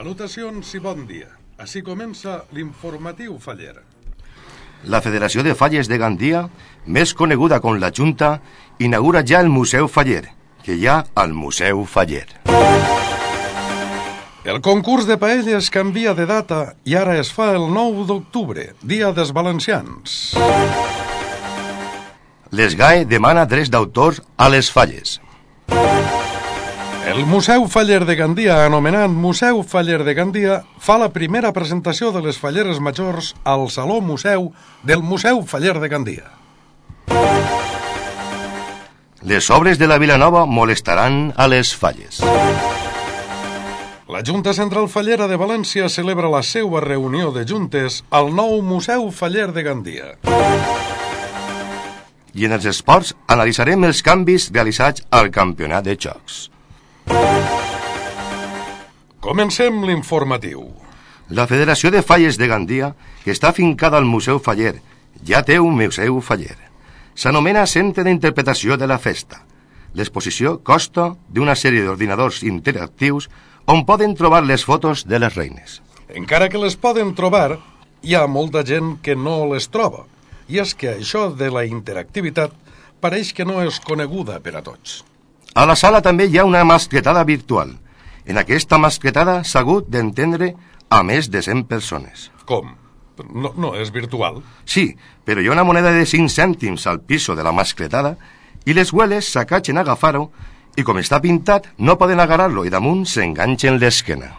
Salutacions i bon dia. Així comença l'informatiu Faller. La Federació de Falles de Gandia, més coneguda com la Junta, inaugura ja el Museu Faller, que hi ha al Museu Faller. El concurs de paelles canvia de data i ara es fa el 9 d'octubre, dia dels valencians. L'ESGAE demana drets d'autors a les falles. El Museu Faller de Gandia, anomenat Museu Faller de Gandia, fa la primera presentació de les falleres majors al Saló Museu del Museu Faller de Gandia. Les obres de la Vilanova molestaran a les falles. La Junta Central Fallera de València celebra la seva reunió de juntes al nou Museu Faller de Gandia. I en els esports analitzarem els canvis realitzats al campionat de jocs. Comencem l'informatiu. La Federació de Falles de Gandia, que està afincada al Museu Faller, ja té un Museu Faller. S'anomena Centre d'Interpretació de la Festa. L'exposició consta d'una sèrie d'ordinadors interactius on poden trobar les fotos de les reines. Encara que les poden trobar, hi ha molta gent que no les troba. I és que això de la interactivitat pareix que no és coneguda per a tots. A la sala també hi ha una mascletada virtual. En aquesta mascletada s'ha hagut d'entendre a més de 100 persones. Com? No és virtual? Sí, però hi ha una moneda de 5 cèntims al piso de la mascletada i les hueles s'acatxen a agafar-ho i com està pintat no poden agarrar-lo i damunt s'enganxen l'esquena.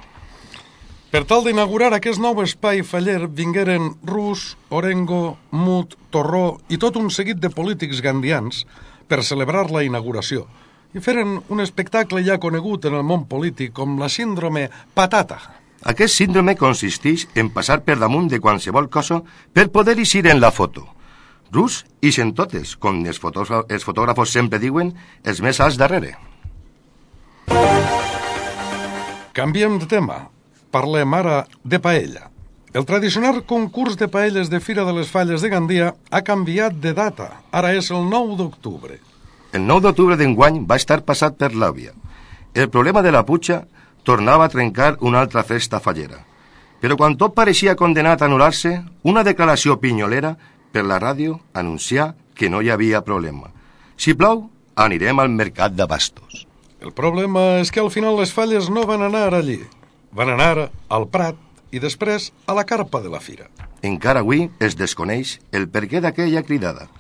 Per tal d'inaugurar aquest nou espai faller vingueren Rus, Orengo, Mut, Torró i tot un seguit de polítics gandians per celebrar la inauguració i feren un espectacle ja conegut en el món polític com la síndrome patata. Aquest síndrome consisteix en passar per damunt de qualsevol cosa per poder eixir en la foto. Rus ixen totes, com els fotògrafos sempre diuen, els més alts darrere. Canviem de tema. Parlem ara de paella. El tradicional concurs de paelles de Fira de les Falles de Gandia ha canviat de data. Ara és el 9 d'octubre. El 9 d'octubre d'enguany va estar passat per l'àvia. El problema de la Puig tornava a trencar una altra festa fallera. Però quan tot pareixia condenat a anul·lar-se, una declaració pinyolera per la ràdio anuncià que no hi havia problema. Si plou, anirem al mercat de Bastos. El problema és que al final les falles no van anar allí. Van anar al Prat i després a la carpa de la fira. Encara avui es desconeix el perquè d'aquella cridada.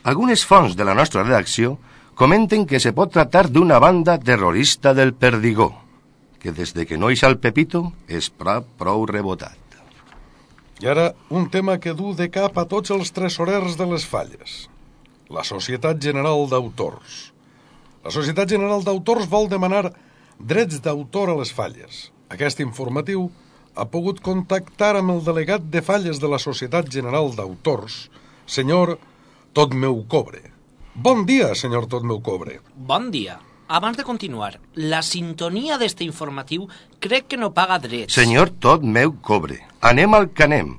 Algunes fonts de la nostra redacció comenten que se pot tractar d'una banda terrorista del Perdigó, que des de que no ix al Pepito és prou rebotat. I ara un tema que du de cap a tots els tresorers de les falles. La Societat General d'Autors. La Societat General d'Autors vol demanar drets d'autor a les falles. Aquest informatiu ha pogut contactar amb el delegat de falles de la Societat General d'Autors, senyor Totmeu-Cobre. Bon dia, senyor Totmeu-Cobre. Bon dia. Abans de continuar, la sintonia d'este informatiu crec que no paga drets. Senyor Totmeu-Cobre, anem al que anem.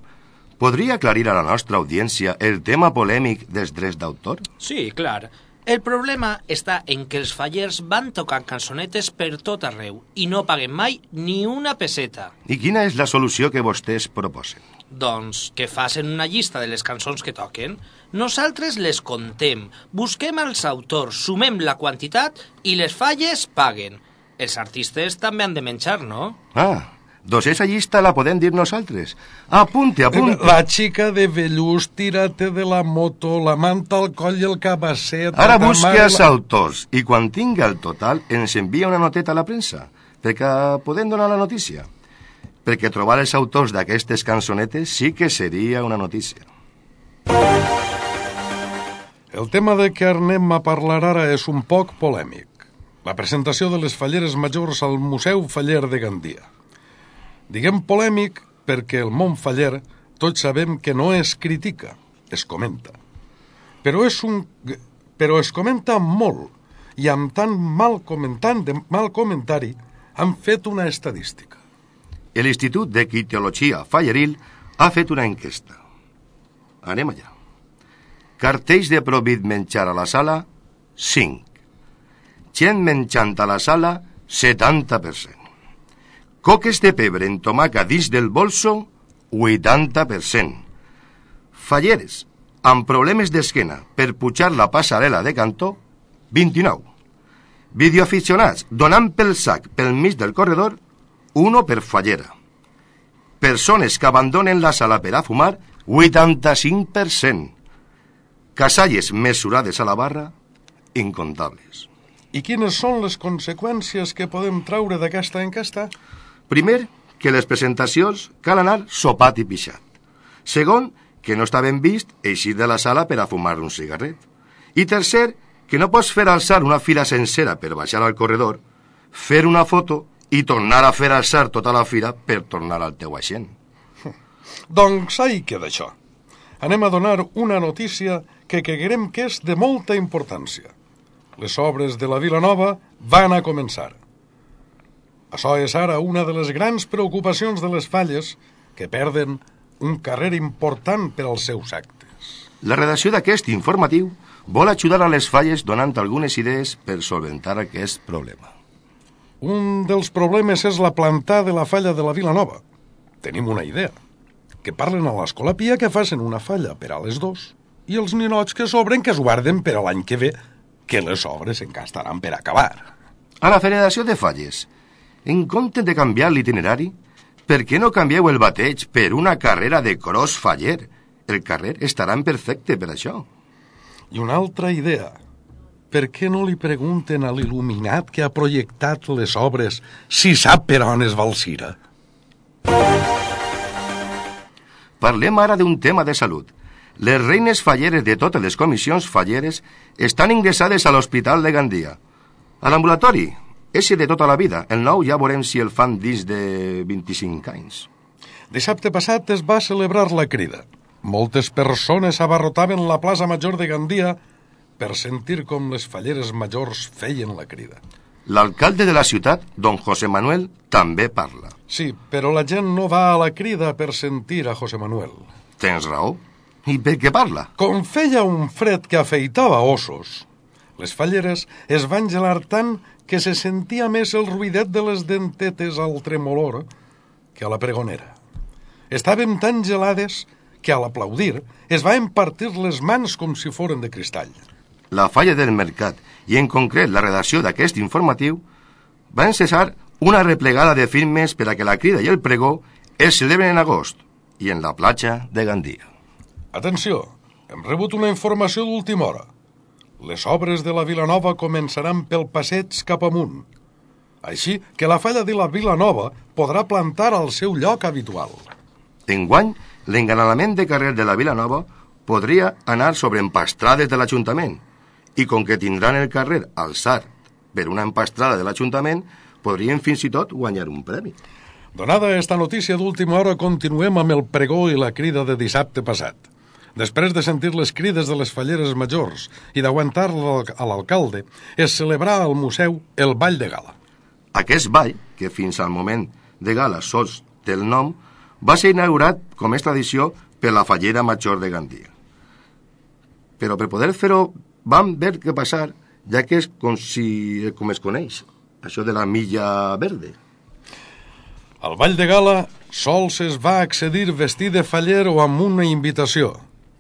Podria aclarir a la nostra audiència el tema polèmic dels drets d'autor? Sí, clar. El problema està en que els fallers van tocant cançonetes per tot arreu i no paguen mai ni una peseta. I quina és la solució que vostès proposen? Doncs que facin una llista de les cançons que toquen. Nosaltres les contem, busquem els autors, sumem la quantitat i les falles paguen. Els artistes també han de menjar, no? Doncs esa llista la podem dir nosaltres. Apunte. La xica de vellús, tírate de la moto, la manta al coll i el cabasset... Ara busque els autors i quan tinga el total ens envia una noteta a la premsa perquè podem donar la notícia. Perquè trobar els autors d'aquestes cançonetes sí que seria una notícia. El tema de què anem a parlar ara és un poc polèmic. La presentació de les falleres majors al Museu Faller de Gandia. Diguem polèmic perquè el món faller tots sabem que no es critica, es comenta. Però es comenta molt i amb tan mal comentari han fet una estadística. L'Institut de Quitiologia Falleril ha fet una enquesta. Anem allà. Cartells de prohibit menjar a la sala, 5. Gent menjant a la sala, 70%. Coques de pebre en tomaca dins del bolso, 80%. Falleres amb problemes d'esquena per pujar la passarel·la de cantó, 29. Videoaficionats donant pel sac pel mig del corredor, 1 per fallera. Persones que abandonen la sala per a fumar, 85%. Casalles mesurades a la barra, incontables. I quines són les conseqüències que podem traure d'aquesta enquesta? Primer, que les presentacions cal anar sopat i pixat. Segon, que no està ben vist eixir de la sala per a fumar un cigarret. I tercer, que no pots fer alçar una fila sencera per baixar al corredor, fer una foto i tornar a fer alçar tota la fila per tornar al teu aixent. Doncs ahí queda això. Anem a donar una notícia que creguem que és de molta importància. Les obres de la Vila Nova van a començar. Això és ara una de les grans preocupacions de les Falles, que perden un carrer important per als seus actes. La redacció d'aquest informatiu vol ajudar a les Falles donant algunes idees per solventar aquest problema. Un dels problemes és la planta de la falla de la Vila Nova. Tenim una idea. Que parlen a l'Escola Pia que facin una falla per a les 2 i els ninots que sobren que es guarden per a l'any que ve, que les obres encara estaran per acabar. A la Federació de Falles, en compte de canviar l'itinerari, per què no canvieu el bateig per una carrera de cross faller? El carrer estarà en perfecte per això. I una altra idea. Per què no li pregunten a l'il·luminat que ha projectat les obres si sap per on es va el Cira? Parlem ara d'un tema de salut. Les reines falleres de totes les comissions falleres estan ingressades a l'Hospital de Gandia. A l'ambulatori, ese de tota la vida. El nou ja veurem si el fan dins de 25 anys. Dissabte passat es va celebrar la crida. Moltes persones abarrotaven la plaça Major de Gandia per sentir com les falleres majors feien la crida. L'alcalde de la ciutat, don José Manuel, també parla. Sí, però la gent no va a la crida per sentir a José Manuel. Tens raó. I per què parla? Com feia un fred que afeitava ossos, les falleres es van gelar tant que se sentia més el ruidet de les dentetes al tremolor que a la pregonera. Estàvem tan gelades que a l'aplaudir es va empartir les mans com si foren de cristall. La falla del mercat, i en concret la redacció d'aquest informatiu, van cessar una replegada de firmes per a que la crida i el pregó es celebren en agost i en la platja de Gandia. Atenció, hem rebut una informació d'última hora. Les obres de la Vila Nova començaran pel passeig cap amunt. Així que la falla de la Vila Nova podrà plantar al seu lloc habitual. Enguany, l'engalanament de carrer de la Vila Nova podria anar sobre empastrades de l'Ajuntament i com que tindran el carrer alçat per una empastrada de l'Ajuntament, podrien fins i tot guanyar un premi. Donada esta notícia d'última hora, continuem amb el pregó i la crida de dissabte passat. Després de sentir les crides de les falleres majors i d'aguantar a l'alcalde, es celebrà al museu el Ball de Gala. Aquest ball, que fins al moment de gala sols té el nom, va ser inaugurat, com és tradició, per la fallera major de Gandia. Però per poder fer-ho vam veure què passar, ja que és com es coneix, això de la milla verde. Al Ball de Gala sols es va accedir vestit de faller o amb una invitació.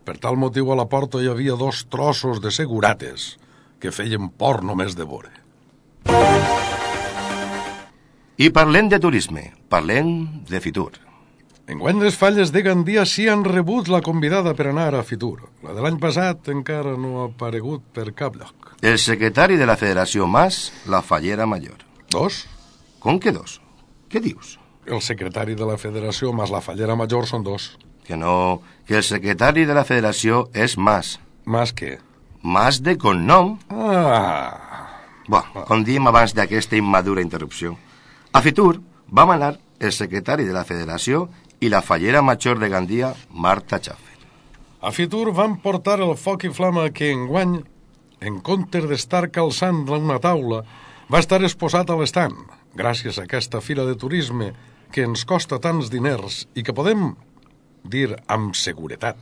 Per tal motiu a la porta hi havia 2 trossos de segurates que feien por només de veure. I parlem de turisme, parlem de Fitur. Enguany les falles de Gandia sí han rebut la convidada per anar a Fitur. La de l'any passat encara no ha aparegut per cap lloc. El secretari de la Federació Mas, la fallera major. 2? Com que 2? Què dius? El secretari de la Federació més la fallera major són 2. Que no, que el secretari de la Federació és Mas. Mas què? Mas de cognom. Com diem abans d'aquesta immadura interrupció. A Fitur vam anar el secretari de la Federació i la fallera major de Gandia, Marta Schaffer. A Fitur van portar el foc i flama que enguany, en comptes d'estar calçant una taula, va estar exposat a l'estand, gràcies a aquesta fira de turisme que ens costa tants diners i que podem dir amb seguretat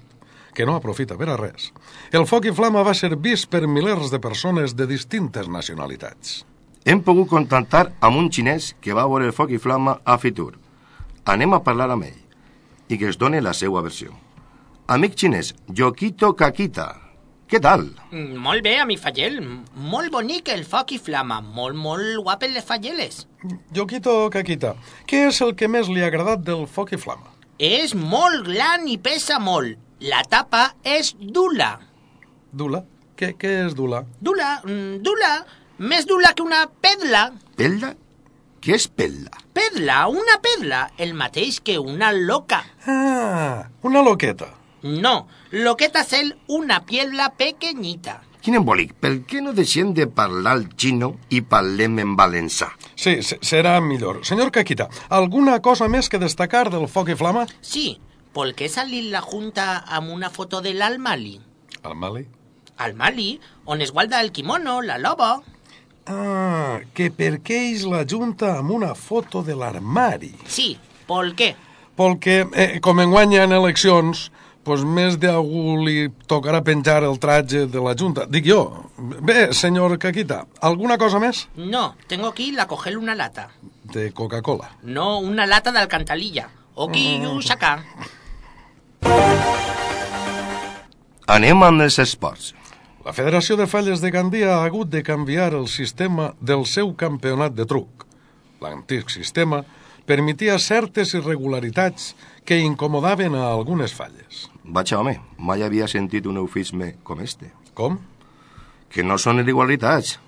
que no aprofita per a res. El foc i flama va ser vist per milers de persones de distintes nacionalitats. Hem pogut contactar amb un xinès que va veure el foc i flama a Fitur. Anem a parlar amb ell i que es doni la seva versió. Amic xinès, Yokito Kakita, què tal? Molt bé, amic Fallel. Molt bonic el foc i flama. Molt guapes les falleles. Yokito Kakita, què és el que més li ha agradat del foc i flama? És molt gran i pesa molt. La tapa és dula. Dula? Què és dula? Dula, més dula que una pedla. Pedla? Què és pedla? Pedla, una pedla, el mateix que una loca. Ah, una loqueta. No, loqueta és una piedra pequeñita. Quin embolic, per què no deixem de parlar el xino i parlem en valencià? Sí, serà millor. Senyor Kakita, alguna cosa més que destacar del foc i flama? Sí, ¿por qué salir la junta amb una foto de l'Almali? Al Mali? Al Mali, on es guarda el kimono, la loba. Ah, que per què és la junta amb una foto de l'armari? Sí, ¿por qué? Perquè, com enguany hi ha eleccions, pues més d'algú li tocarà penjar el traje de la junta. Dic jo. Bé, senyor Kakita, alguna cosa més? No, tengo que ir a coger una lata. De Coca-Cola. No, una lata de alcantarilla. Aquí i acá. Anem amb els esports. La Federació de Falles de Gandia ha hagut de canviar el sistema del seu campionat de truc. L'antic sistema permetia certes irregularitats que incomodaven a algunes falles. Vaja, home, mai havia sentit un eufisme com este. Com? Que no són irregularitats.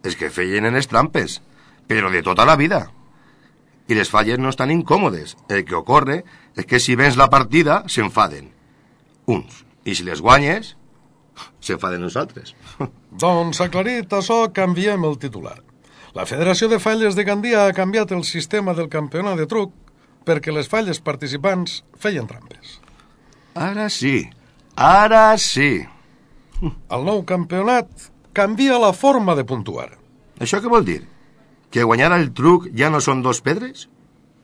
És que feien en les trampes, però de tota la vida. I les falles no estan incòmodes. El que ocorre és que si vens la partida, s'enfaden. Uns. I si les guanyes, s'enfaden els altres. Doncs, aclarit això, canviem el titular. La Federació de Falles de Gandia ha canviat el sistema del campionat de truc perquè les falles participants feien trampes. Ara sí, ara sí. El nou campionat canvia la forma de puntuar. Això què vol dir? Que guanyar el truc ja no són 2 pedres?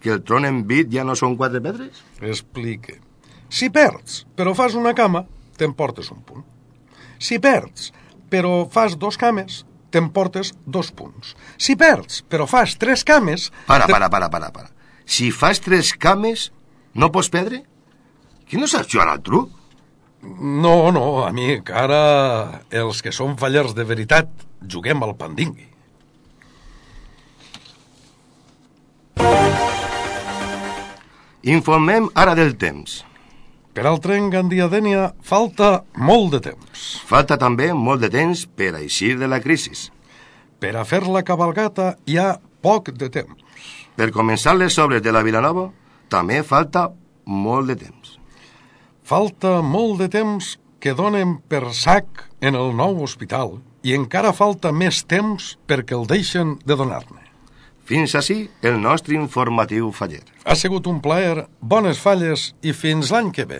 Que el tron en bit ja no són 4 pedres? Explique. Si perds, però fas una cama, t'emportes un punt. Si perds, però fas 2 cames, t'emportes 2 punts. Si perds, però fas 3 cames... Para. Si fas 3 cames, no pots perdre? Qui no saps jugar al truc? No, amic, ara els que som fallers de veritat juguem al pandingui. Informem ara del temps. Per al tren Gandia-Dénia falta molt de temps. Falta també molt de temps per a eixir de la crisi. Per a fer la cabalgata hi ha poc de temps. Per començar les obres de la Vilanova també falta molt de temps. Falta molt de temps que donen per sac en el nou hospital i encara falta més temps perquè el deixen de donar-ne. Fins ací el nostre informatiu faller. Ha sigut un plaer, bones falles i fins l'any que ve.